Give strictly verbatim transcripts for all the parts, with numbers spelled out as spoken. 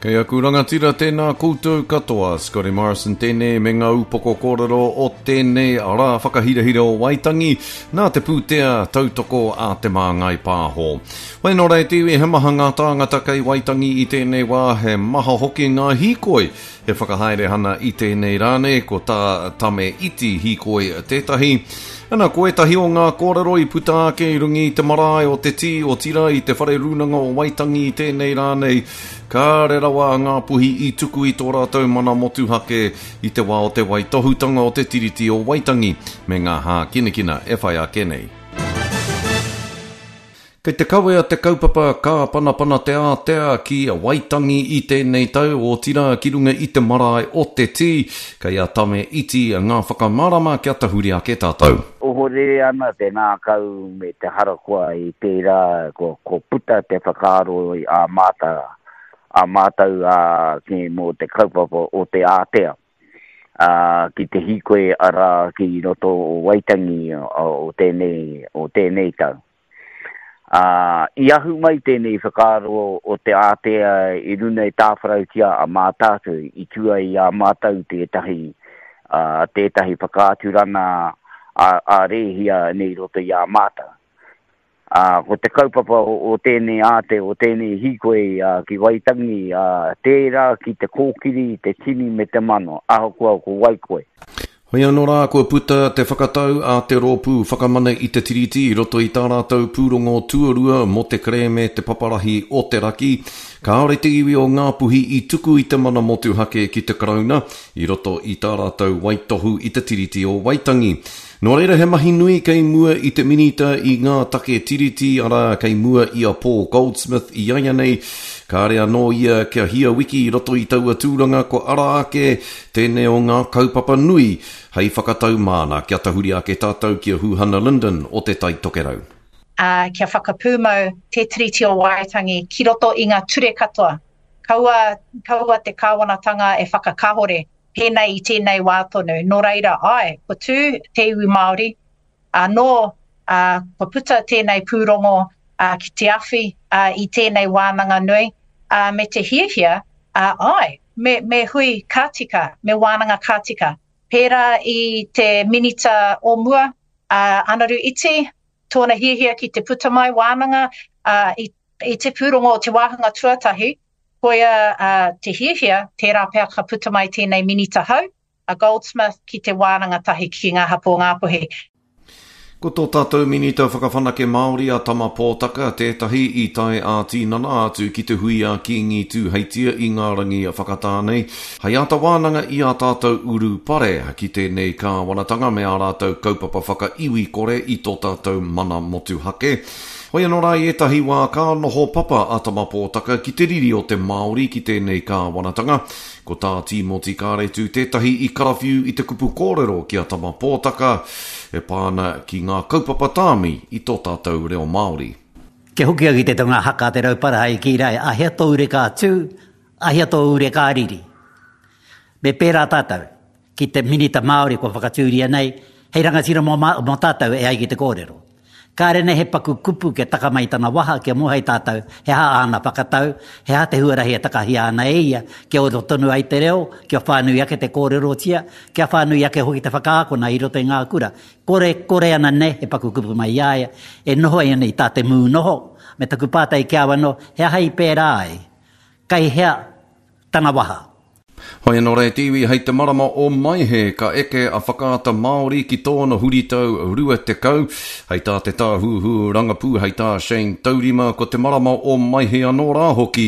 Kei aku rangatira tēnā koutou katoa, Scotty Morrison tēnei me ngā upoko kōrero o tēnei rā whakahirahira o Waitangi, nā te pūtea tautoko a Te Māngai Pāho. Wai nō reira te iwi, he maha ngā tāngata kei Waitangi i tēnei wā, he maha hoki ngā hīkoi e whakahaere ana i tēnei rā nei, ko tā Tame Iti hīkoi tētahi. Ana, ko ētahi o ngā kōrero i puta ake i runga i te marae o Te Tī, otirā i te whare rūnanga o Waitangi i tēnei rā nei, kāre rawa a Ngāpuhi i tuku i tō rātou mana motuhake i te wā o te waitohutanga o te Tiriti o Waitangi me ngā hākinakina e whai ake nei. Kei te kawea te kaupapa Kāpanapana te Ātea ki Waitangi i tēnei tau, otirā ki runga i te marae o Te Tī. Kei a Tame Iti ngā whakamārama kia tahuri ake tātou. Ohorere ana te ngākau me te harakoa i tērā kua puta te whakaaro a māta, a mātou a, ki mō te kaupapa o te ātea. Ā, ki te hīkoi arā ki roto o Waitangi o tēnei, o tēnei tau. Ā, i ahu mai tēnei whakaaro o te ātea i runa i tāwharautia a Mātaatua i tua i a mātou tētahi, ā, tētahi whakaaturana a, a Rēhia nei roto i a mātou. Ā, ko te kaupapa o, o tēnei ātea, o tēnei hīkoi ā, ki Waitangi, ā, tērā ki te kōkiri, te tini me te mano, ahakoa ko wai koe. Hoi anō rā, kua puta te whakatau a te Rōpū Whakamana i te Tiriti i roto i tā rātou pūrongo tuarua mō te kerēme Te Paparahi o te Raki. Kāore te iwi o Ngāpuhi i tuku i te mana motuhake ki te Karauna i roto i tā rātou waitohu i te Tiriti o Waitangi. Nō reira he mahi nui kei mua i te Minita i ngā take Tiriti, arā kei mua i a Paul Goldsmith i a ia nei. Kāre anō ia kia hia wiki i roto i taua tūranga kua ara ake tēnei o ngā kaupapa nui hei whakatau māna kia tahuri ake tātou ki a Huhana Lyndon o Te Tai Tokerau. Ā, kia whakapūmau te Tiriti o Waitangi ki roto i ngā ture katoa. Kaua, kaua te kāwanatanga e whakakahore pēnei i tēnei wā tonu. Nō reira, āe, kua tū te iwi Māori, anō, ā, kua puta tēnei pūrongo ā, ki te awhi ā, i tēnei wānanga nui, ā, me te hiahia, ā, āe, me, me hui ka tika, me wānanga ka tika. Pērā i te minita o mua, a Anaru Iti, tōna hiahia ki te puta mai wānanga ā, i, i te pūrongo o te wāhanga tuatahi, koia ā, te hiahia, tērā pea ka puta mai tēnei minita hou, a Goldsmith, ki te wānanga tahi ki ngā hapū o Ngāpuhi. Ko tō tātou Minita Whakawhanake Māori a Tama Pōtaka tētahi i tae ā-tīnana atu ki te hui a Kīngi Tūheitia i ngā rangi whakatā nei, hei āta wānanga i ā tātou urupare ki tēnei kāwanatanga me ā rātou kaupapa whakaiwi kore i tō tātou mana motuhake. Hoi anō rā i ētahi wā ka noho papa a Tama Pōtaka ki te riri o te Māori ki tēnei kāwanatanga. Ko tā Tīmoti Kāretu tētahi i karawhiu i te kupu kōrero ki a Tama Pōtaka e pā ana ki ngā kaupapa tāmi i tō tātou reo Māori. Kia hoki au ki te tonga haka a Te Rauparaha i kī rā, ahea tō ure ka tū, ahea tō ure ka riri. Me pērā tātou ki te Minita Māori kua whakatūria nei, hei rangatira mō, mō tātou e ai ki te kōrero. Kāre nei he paku kupu kia taka mai tana waha kia moe tātou he aha āna whakatau, he aha te huarahi e takahia ana e ia kia ora tonu ai te reo, kia whānui ake te kōrerotia, kia whānui ake hoki te whakaakona i roto i ngā kura. Kore, kore ana nei he paku kupu mai i a ia, e noho ai ana i tā te mū noho, me taku pātai ki a au anō, he aha i pērā ai? Kei hea tana waha? Hoi anō rā e te iwi, hei te marama o Maehe ka eke a Whakaata Māori ki tōna huritau rua tekau. Hei tā te Tāhuhu Rangapū, hei tā Shane Taurima, ko te marama o Maehe anō rā hoki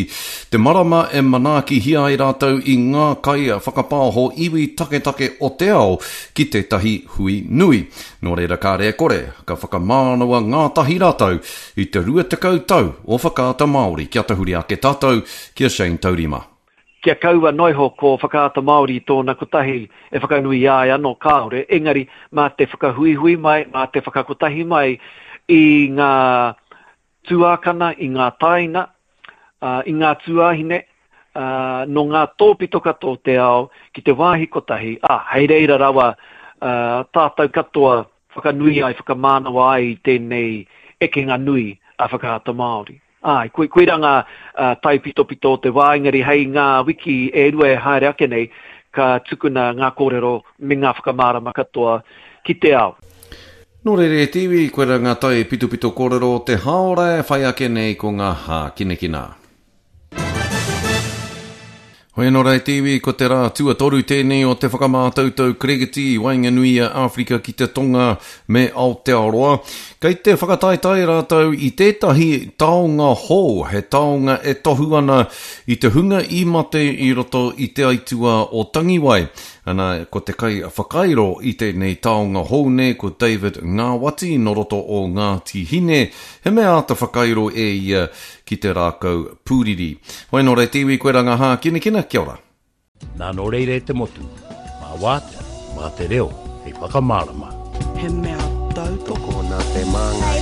te marama e manaakihia ai rātou i ngā kai whakapāho iwi taketake o te ao ki tētahi hui nui. Nō reira kāre e kore, ka whakamānawa ngātahi rātou i te rua tekau tau o Whakaata Māori. Kia tahuri ake tātou ki a Shane Taurima. Kia kaua noa iho ko Whakaata Māori i tōna kotahi e whakanui i a ia anō, kāore, engari mā te whakahuihui mai, mā te whakakotahi mai i ngā tuākana, i ngā tāina, i ngā tuāhine, nō ngā tōpito katoa o te ao ki te wāhi kotahi, ā, hei reira rawa tātou katoa whakanui ai, whakamānawa ai i tēnei ekenga nui a Whakaata Māori. Āe, koi, koirā ngā uh, taipitopito o te wā, engari hei ngā wiki e rua e haere ake nei, ka tukuna ngā kōrero me ngā whakamārama katoa ki te ao. Nō reira e te iwi, koirā ngā taipitopito kōrero o te hāora e whai ake nei ko ngā hākinakina. Hoi anō rā e te iwi, ko te rā tuatoru tēnei o te whakamātautau Kirikiti i waenganui i a Āwherika ki te Tonga me Aotearoa. Kei te whakataetae rātou i tētahi taonga hou, he taonga e tohu ana i te hunga i mate i roto i te aituā o Tangiwai. Ana, ko te kai whakairo i tēnei taonga hou nei ko David Ngāwati nō roto o Ngāti Hine, he mea āta whakairo e ia ki te rākau pūriri. Hoi nō reira te iwi, koirā ngā hākinakina, kia ora. Nā nō reira e te motu, mā wātea, mā te reo, hei whakamārama. He mea tautoko nā Te Māngai